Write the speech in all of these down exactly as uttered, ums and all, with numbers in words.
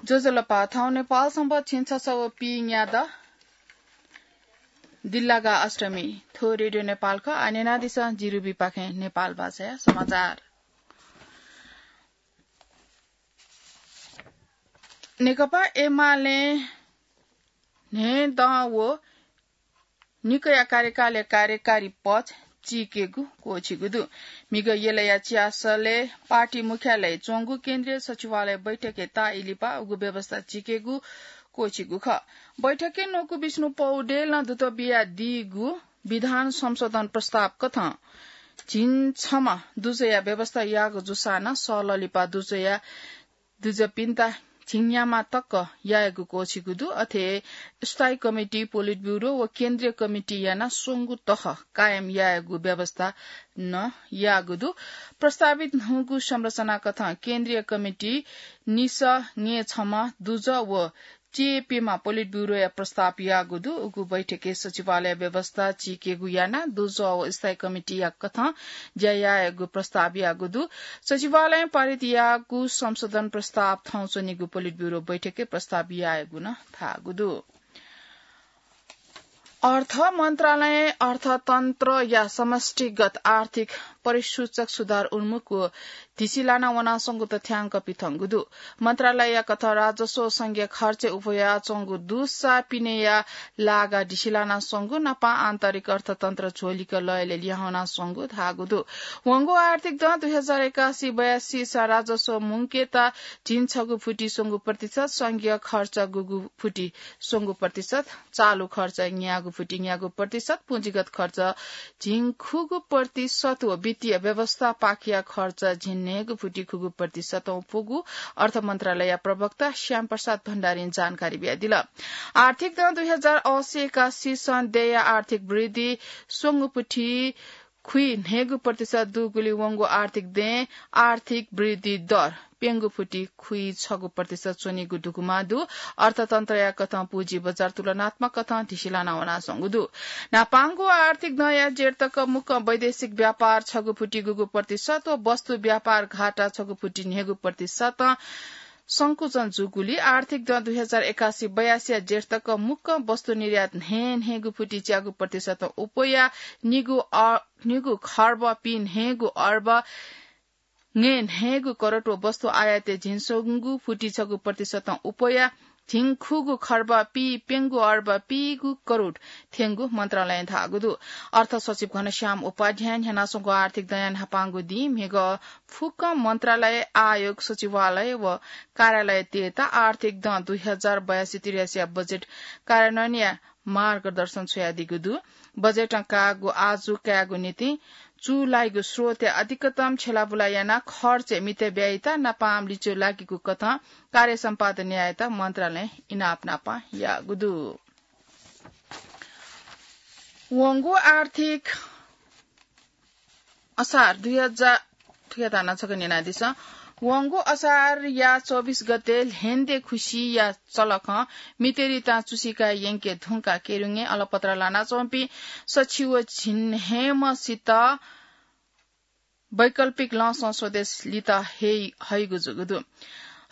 ज्वजलपा, थौं नेपाल संवत् झिंछसः व पीन्यादँ दिल्लागा अष्टमी। थ्व रेडियो नेपाल खः। आः न्यनादिसँ जिरुबीपाखें नेपाल भाषाया समाचार। नेकपा एमालें न्हय्दँ व निकया कार्यकालय् कार्यकारी पद चीकेगु क्वःछिगु दु। म्हिगः यलया च्यासलय् पार्टी मुख्यालय च्वंगु केन्द्रीय सचिवालय बैठकय् ताःई लिपा उगु व्यवस्था चीकेगु क्वःछिगु खः। बैठकय् नकु विष्णु पौडेलं दुत बियादीगु विधान संशोधन प्रस्ताव कथं झिंछम्ह दुजया व्यवस्था याःगु जूसां नं सःलः लिपा दुजया दुजःपिन्त झिंन्याम्ह तक यायेगु क्वःछिगु दु। अथे स्थायी कमिटी, पोलिट ब्यूरो व केन्द्रीय कमिटी यानाः स्वंगू तह कायम यायेगु व्यवस्था नं याःगु दु। प्रस्तावित न्हूगु संरचना कथं केन्द्रीय कमिटी निसः ङय्छम्ह दुजः व च्यय्‌प्यम्ह पोलिट ब्यूरोया प्रस्ताव याःगु दु। उगु बैठकय् सचिवालय व्यवस्था चीकेगु यानाः दुजः व स्थायी कमिटीया कथं ज्या यायेगु प्रस्ताव याःगु दु। सचिवालयं पारित याःगु संशोधन प्रस्ताव थौं च्वनीगु पोलिट ब्यूरो बैठकय् प्रस्ताव यायेगु नं धाःगु दु। अर्थ मन्त्रालयं अर्थतन्त्रया समष्टिगत आर्थिक परिसूचक सुधार उन्मुख व धिसिलाना वनाच्वंगु तथ्याङ्क पिथंगु दु। मन्त्रालयया कथं राजस्व संघीय खर्चय् उपयाच्वंगु दुसा पिनेया लागा धिसिलानाच्वंगु, नापं आन्तरिक अर्थतन्त्र झ्वलिक लय्‌लय् लिहां वनाच्वंगु धाःगु दु। वंगु आर्थिक दँ दुई हजार एकासी बयासीसा राजस्व मुंकेत झिंछगू फुति स्वंगू प्रतिशत, संघीय खर्च गुगू फुति स्वंगू प्रतिशत, चालु खर्च न्यागू फुति न्यागू प्रतिशत, पुँजीगत खर्च झिंखुगू प्रतिशत व वित्तीय व्यवस्थापाखेया खर्च झिंन्हय्‌गू फुति खुगू प्रतिशतं पुगु अर्थ मन्त्रालयया प्रवक्ता श्याम प्रसाद भण्डारीं जानकारी बियादिल। आर्थिक दँ दुई हजार असी एकासीसं देय्‌या आर्थिक वृद्धि स्वंगू फुति खुइन्हय्‌गू प्रतिशत दुगुलिं वंगु आर्थिक दँय् आर्थिक वृद्धि दर प्यंगू फुति खुइछगू प्रतिशत च्वनीगु दुगुमा दु। अर्थतन्त्रया कथं पुँजी बजार तुलनात्मक कथं धिसिलाना वनाच्वंगु दु। न्हापांगु आर्थिक दँया जेठ तक मुक्कं वैदेशिक व्यापार छगू फुति गुगू प्रतिशत व वस्तु व्यापार घाटा छगू फुति न्हय्‌गू प्रतिशतं संकुचन जूगुलिं आर्थिक दँ दुई हजार एकासी बयासीया जेठ तक मुक्कं वस्तु निर्यात न्हय्‌न्हय्‌गू फुति च्यागू प्रतिशतं उपयाः निगू अ-, निगू खर्ब पीन्हय्‌गू अर्ब ङय्‌न्हय्‌गू करोड व वस्तु आयातय् झिंस्वंगू फुति छगू प्रतिशतं उपयाः झिंखुगू खर्ब पीप्यंगू अर्ब पीगू करोड थ्यंगु मन्त्रालयं धाःगु दु। अर्थ सचिव घनश्याम उपाध्यायं न्ह्यानाच्वंगु आर्थिक दँया न्हापांगु दिं म्हिगः फुक्क मन्त्रालय, आयोग, सचिवालय व कार्यालयतय्‌त आर्थिक दँ दुई हजार बयासी त्रियासीया बजेट कार्यान्वयनया मार्गदर्शन छ्वयादीगु दु। बजेटं काःगु आजु कायेगु निंतिं चूलाइगु स्रोतया अधिकतम छ्यलाबुला यानाः खर्चय् मितब्ययिता नापं लिच्वः लाकीगु कथं कार्य सम्पादन यायेत मन्त्रालयं इनाप नापं याःगु दु। वंगु आर्थिक असार दुई हजार, थुकिया ताना छकः न्यनादिसँ। वंगु असारया चौबिस गते ल्हेन्दे खुसिया चलखं मितेरी तां चुसिका यंके धुंकाः केरुङय् अलपत्र लानाच्वंपिं सछि व झिंन्हय्‌म्हसित वैकल्पिक लँसं स्वदेश लित हये, हइगु जूगु दु।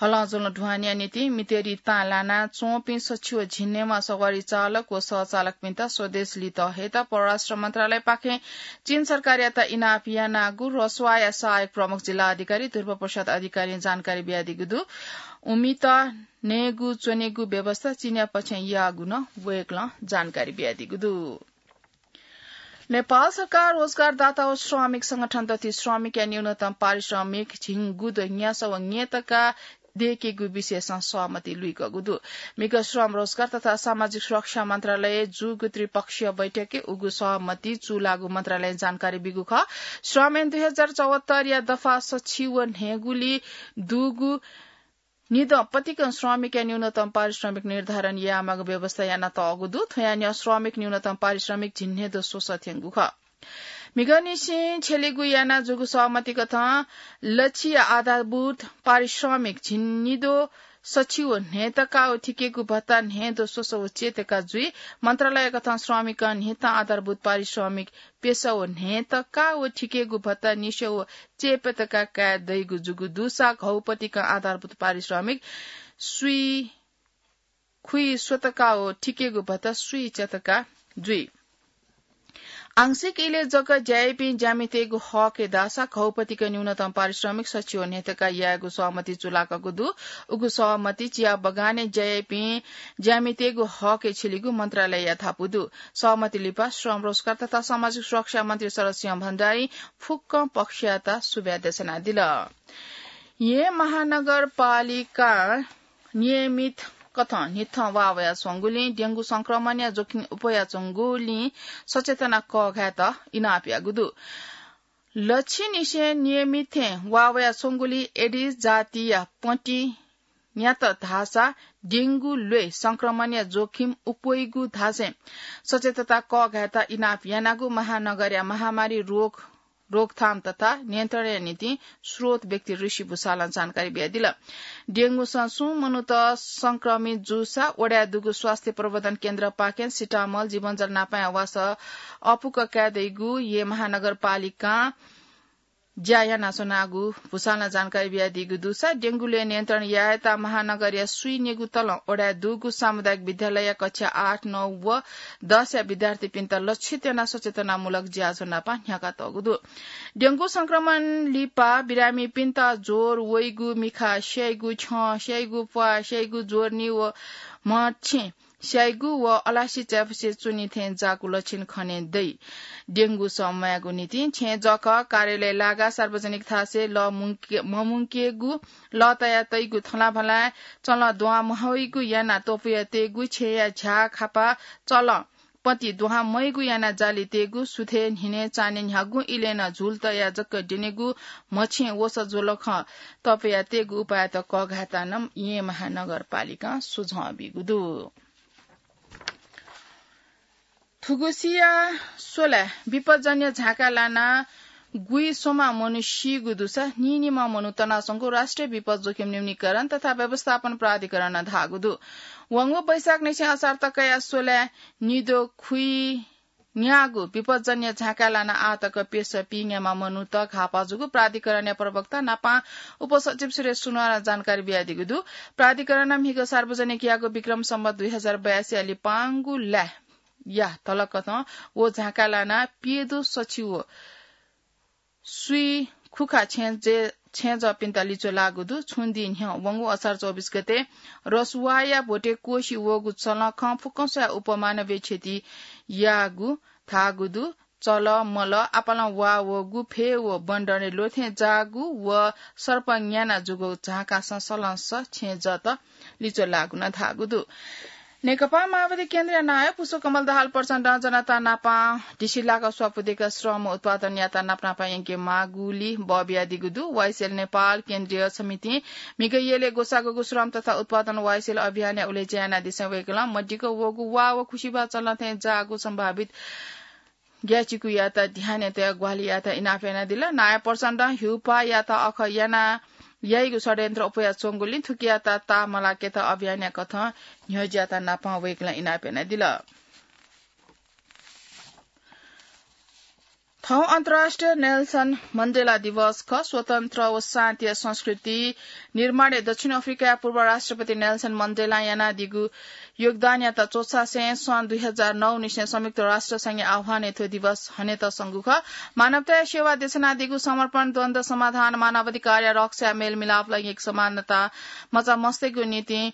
हलंज्वलं दुहानया निंतिं मितेरी तां लानाच्वंपिं सछि व झिंन्हय्‌म्ह सवारी चालक व सहचालकपिन्त स्वदेश लित हयेत परराष्ट्र मन्त्रालयपाखें चीन सरकारयात इनाप यानागु रसुवाया सहायक प्रमुख जिल्ला अधिकारी ध्रुव प्रसाद अधिकारीं जानकारी बियादीगु दु। उमित नयेगु च्वनेगु व्यवस्था चीनया पक्षं याःगु नं वय्‌कलं जानकारी बियादीगु दु। नेपाल सरकार, रोजगारदाता व श्रमिक संगठन दथुइ श्रमिकया न्यूनतम पारिश्रमिक झिंगुद न्यासः व ङय् तका दयेकेगु विषयसं सहमति लुइकूगु दु। म्हिगः श्रम, रोजगार तथा सामाजिक सुरक्षा मन्त्रालयय् जूगु त्रिपक्षीय बैठकय् उगु सहमति चूलाःगु मन्त्रालयं जानकारी बीगु खः। श्रम ऐन दुई हजार चौहत्तरया दफा सछि व न्हय्‌गुलिइ दुगु निदँ पतिकं श्रमिकया न्यूनतम पारिश्रमिक निर्धारण यायेमाःगु व्यवस्था यानातःगु दु। थ्वया न्ह्यः श्रमिक न्यूनतम पारिश्रमिक झिंन्हय्‌द्वः स्वसः थ्यंगु खः। म्हिगःनिसें छ्यलेगु यानाः जूगु सहमति कथं लछिया आधारभूत पारिश्रमिक झिंनिद्वः सछि व न्हय्‌तका व थिकेगु भत्ता न्हय्‌द्वः स्वसः व च्यय्‌तका जुइ। मन्त्रालय कथं श्रमिकं न्हिथं आधारभूत पारिश्रमिक प्यसः व न्हय्‌तका व थिकेगु भत्ता निस्वः व च्यय्‌प्यतका काये दइगु जूगु दुसा घौपतिकं आधारभूत पारिश्रमिक सुइ खुइ स्वतका व थिकेगु भत्ता सुइ चतका जुइ। आंशिक इलय् जक ज्या याइपिं ज्यामितय्गु हकय् धाःसा घौपतिक न्यूनतम पारिश्रमिक सछि व न्ह्यथका यायेगु सहमति चुलाकःगु दु। उगु सहमति चिया बगानय् ज्या याइपिं ज्यामितय्गु हकय् छिलिगु मन्त्रालयया धापू दु। सहमति लिपा श्रम, रोजगार तथा सामाजिक सुरक्षा मन्त्री शरद सिंह भण्डारीं फुक्क पक्षयात सुभाय् देछानादिल। येँ महानगरपालिका नियमित कथं न्हिथं वा वयाच्वंगुलिं डेंगू संक्रमणया जोखिम उप्वयाच्वंगुलिं सचेतना कःघायेत इनाप याःगु दु। लच्छिनिसें नियमित थें वा वयाच्वंगुलिं एडिस जातिया पति न्यात धाःसा डेंगू ल्वय् संक्रमणया जोखिम उप्वइगु धासें सचेतता कःघायेत इनाप यानागु महानगरया महामारी रोग रोकथाम तथा नियन्त्रणया निंतिं स्रोत व्यक्ति ऋषि भूषालं जानकारी बियादिल। डेंगूसं सुं मनूत संक्रमित जूसा वडाय् दुगु स्वास्थ्य प्रवर्धन केन्द्रपाखें सिटामल, जीवनजल नापं वासः अःपुक काये दइगु येँ महानगरपालिकां ज्या यानाच्वनागु भूषालं जानकारी बियादीगु दुसा डेंगू ल्वय् नियन्त्रण यायेत महानगरया स्वीनिगू तलं वडाय् दुगु सामुदायिक विद्यालयया कक्षा आठ, नौ व दसया विद्यार्थीपिन्त लक्षित यानाः सचेतनामूलक ज्याझ्वः नापं न्ह्याकातःगु दु। डेंगू संक्रमण लिपा बिरामीपिन्त ज्वर वइगु, मिखा स्याइगु, छ्यं स्याइगु, प्वाः स्याइगु, ज्वरनी व म्हछेँ स्याइगु व अलासी चाय्‌पुसे च्वनी थें जाःगु लक्षण खने दइ। डेंगू सः म्वायेगु निंतिं छेँजःखः कार्यालय लागाः सार्वजनिक थासय् लः मुंके-, ममुंकेगु, लः तया तइगु थलाभलाय् चलं दुहां महइगु यानाः त्वपुया तयेगु, छेँया झ्याः खापा चलं पति दुहां मइगु यानाः जालि तयेगु, सुथय्, न्हिनय्, चान्हय् न्ह्यागुं इलय् नं झुल तयाः जक द्यनेगु, म्हछेँ वसः ज्वलखं त्वपुया तयेगु उपायत कःघायेत नं येँ महानगरपालिकां सुझाव बीगु दु। थुगुसिया स्वलाय् विपदजन्य झाँकाय् लानाः गुइ स्वम्ह मनू सीगु दुसा नीनिम्ह मनू तनाच्वंगु राष्ट्रिय विपद जोखिम न्यूनीकरण तथा व्यवस्थापन प्राधिकरणं धाःगु दु। वंगु वैशाखनिसें असार तकया स्वलाय् निद्वः खुइन्याःगु विपदजन्य झाँकाय् लानाः आः तक प्यसः पीन्याम्ह मनूत घाःपाः जूगु प्राधिकरणया प्रवक्ता नापं उपसचिव सुरेश सुनवारं जानकारी बियादीगु दु। प्राधिकरणं म्हिगः सार्वजनिक याःगु विक्रम सम्वत दुई हजार बयासीया लिपांगु लाय्‌या धलकथं व झाँकाय् लानाः प्यदँ सछि व स्वीखुखा छेँजः-, छेँजःपिन्त लिच्वः लाःगु दु। छुं दिं न्ह्यः वंगु असार चौबिस गते रसुवाया भ्वतय् क्वसि वःगु चलखं फुक्कं स्वयाः उपमानवीय क्षति याःगु धाःगु दु। चलः, मलः, आपालं वा वःगु, फय् व बन्दरे ल्वथें जाःगु व सर्प न्याना जूगु झाँकासं सलंसः छेँजःत लिच्वः लाःगु नं धाःगु दु। नेकपा माओवादी केन्द्रीय नायः पुष्पकमल दाहाल प्रचण्डं जनता नापं ढिसिलाक स्वापू दय्‌क श्रम उत्पादन यात नापनापं यंके माःगुलिं बः बियादीगु दु। वाइएसएल नेपाल केन्द्रीय समितिं म्हिगः यलय् ग्वसाःगु श्रम तथा उत्पादन वाइएसएल अभियानया उलेज्या यानादिसें वय्‌कलं मदिक्क वःगु वा व खुसिबाः चलथें जाःगु सम्भावित ग्याःचिकुयात ध्यानय् तयाः ग्वाहालि यायेत इनाप यानादिल। नायः प्रचण्डं हिउपाःयात अःखः याना याइगु षड्यन्त्र अप्वयाच्वंगुलिं थुकियात ताःमलाकेत अभियानया कथं न्ह्यज्याःत नापं वय्‌कलं इनाप यानादिल। थौं अन्तर्राष्ट्रिय नेल्सन मण्डेला दिवस खः। स्वतन्त्र व शान्तिया संस्कृति निर्माणय् दक्षिण अफ्रिकाया पूर्व राष्ट्रपति नेल्सन मण्डेलां यानादीगु योगदानयात च्वछासें सन् दुई हजार नौ निसें संयुक्त राष्ट्र संघया आह्वानय् थ्व दिवस हनेत संगु खः। मानवताया सेवा देछानादीगु समर्पण, द्वन्द्व समाधान, मानवाधिकारया रक्षाया मेलमिलापं एक समानता मचा मस्तय्‌गु निंतिं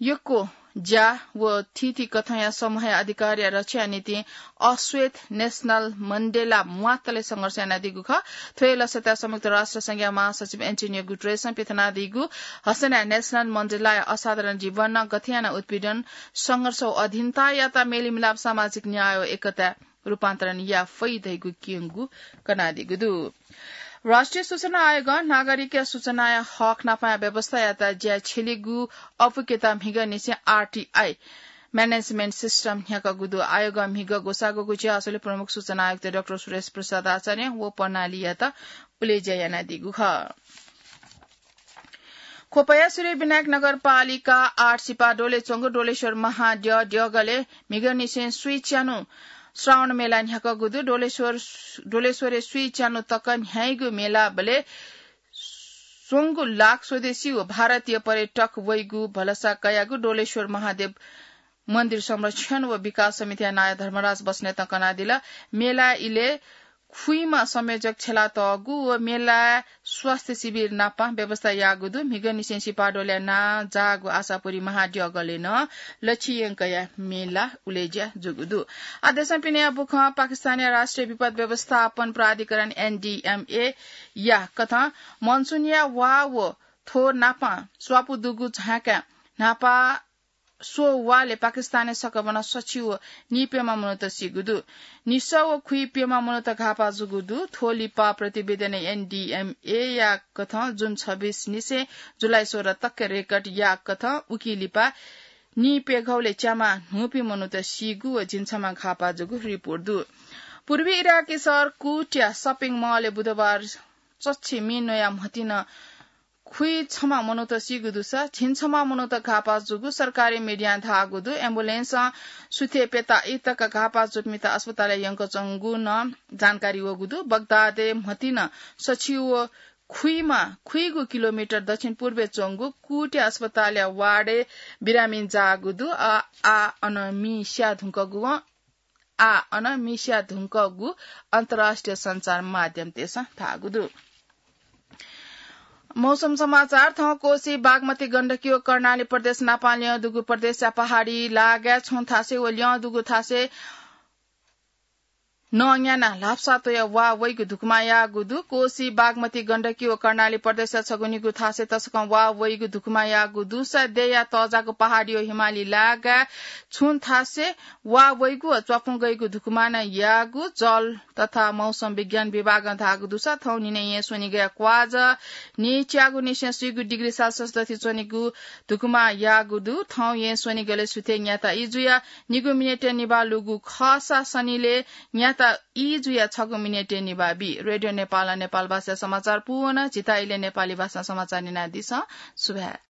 यक्व ज्या व थीथी कथंया समूहया अधिकारया रक्षाया निंतिं अश्वेत नेल्सन मण्डेला म्वाःतले संघर्ष यानादीगु खः। थ्व हे लसताय् संयुक्त राष्ट्र संघया महासचिव एन्टोनियो गुटरेसं पिथनादीगु हसनाय् नेल्सन मण्डेलाया असाधारण जीवनं गथे यानाः उत्पीडन, संघर्ष व अधीनतायात मेलमिलाप, सामाजिक न्याय व एकताय् रूपान्तरण याये फइ धइगु क्यंगु कनादीगु दु। राष्ट्रिय सूचना आयोगं नागरिकया सूचनाया हक नापंया व्यवस्थायात ज्या छ्यलीगु अःपुकेत म्हिगःनिसें आरटीआई म्यानेजमेन्ट सिस्टम न्ह्याकागु दु। आयोगं म्हिगः ग्वसाःगु ज्याझ्वलय् प्रमुख सूचना आयुक्त डाक्टर सुरेश प्रसाद आचार्य व प्रणालीयात उलेज्या यानादीगु खः। ख्वपया सूर्यविनायक नगरपालिका आठ सिपा डोले च्वंगु डोलेश्वर महाद्यः द्यःगलय् म्हिगःनिसें स्वीं च्यान्हु श्रावण मेला न्ह्याकागु दु। डोलेश्वर, डोलेश्वरय् स्वीं च्यान्हु तक न्ह्याइगु मेलाबलय् च्वंगु लाख स्वदेशी व भारतीय पर्यटक वइगु भलसा कयागु डोलेश्वर महादेव मन्दिर संरक्षण व विकास समितिया नायः धर्मराज बस्नेतं कनादिल। मेला इले खुइमा संयोजक छेलातःगु व मेला स्वास्थ्य शिविर नापं व्यवस्था याःगु दु। म्हिगःनिसें सिपाडोलया नां जाःगु आशापुरी महाद्यःगलय् नं लच्छि यंकया मेला उलेज्या जूगु दु। आ देशं पिनेया बुखं पाकिस्तानया राष्ट्रिय विपद व्यवस्थापन प्राधिकरण एनडीएमए या कथं मनसुनया वा व थ्व नापं स्वापू दुगु झाँका न्हापा स्व वाले पाकिस्तानय् सकभनं सछि व नीप्यम्ह मनूत सीगु दु। निसः व खुइप्यम्ह मनूत घाःपाः जूगु दु। थ्व लिपा प्रतिवेदनय् एनडीएमए या कथं जुन छब्बीस निसें जुलाई सोह्र तक रेकर्ड या कथं उकी लिपा नीप्यघौले च्यामा न्हूपिं मनूत सीगु व झिंछम्ह घाःपाः जूगु रिपोर्ट दु। पूर्वी इराकी शहर कुट्या शपिङ मलय् बुधबार चच्छि मि न्वया म्हतिनं खुइछम्ह मनूत सीगु दुसा झिंछम्ह मनूत घाःपाः जूगु सरकारी मिडियां धाःगु दु। एम्बुलेन्सं सुथय् प्यता ई तक घाःपाः जूपिन्त अस्पतालय् यंकच्वंगु नं जानकारी वःगु दु। बगदादय् म्हतिनं सछि व खुइमा खुइगु किलोमिटर दक्षिण पूर्वय् च्वंगु कुट्या अस्पतालया वार्डय् बिरामी जाःगु दु। आ, आ अन मि स्या धुंकूगु आ अन मि स्या धुंकूगु अन्तर्राष्ट्रिय सञ्चार माध्यमतय्सं धाःगु दु। मौसम समाचार। थौं कोशी, बागमती, गण्डकी व कर्णाली प्रदेश नापं ल्यं दुगु प्रदेशया पहाडी लागाय् छुं थासय् व ल्यं दुगु थासय् नं न्यानाः ल्हापसा त्वयाः वा वइगु धुकुमा याःगु दु। कोशी, बागमती, गण्डकी व कर्णाली प्रदेशया छगू निगू थासय् तसकं वा वइगु धुकुमा याःगु दुसा देया तःजाःगु पहाडी व हिमाली लागाय् छुं थासय् वा वइगु व च्वापुं गइगु धुकुमा नं याःगु जल तथा मौसम विज्ञान विभागं धाःगु दुसा थौं न्हिनय् येँ स्वनिगःया क्वाज न्हय्च्यागू निसें स्वीगू डिग्री सेल्सियस दथि च्वनीगु धुकुमा याःगु दु। थौं येँ स्वनिगलय् सुथय् न्याता ई जुयाः निगू मिनेटय् निभाः लूगु खःसा सनिलय् न्याता ई जुयाः छगू मिनेटय् निभाः बी। रेडियो नेपालं नेपाल भाषाय् समाचार पूवन। झीत इलय् नेपाली भाषां समाचार न्यनादिसँ। सुभाय्।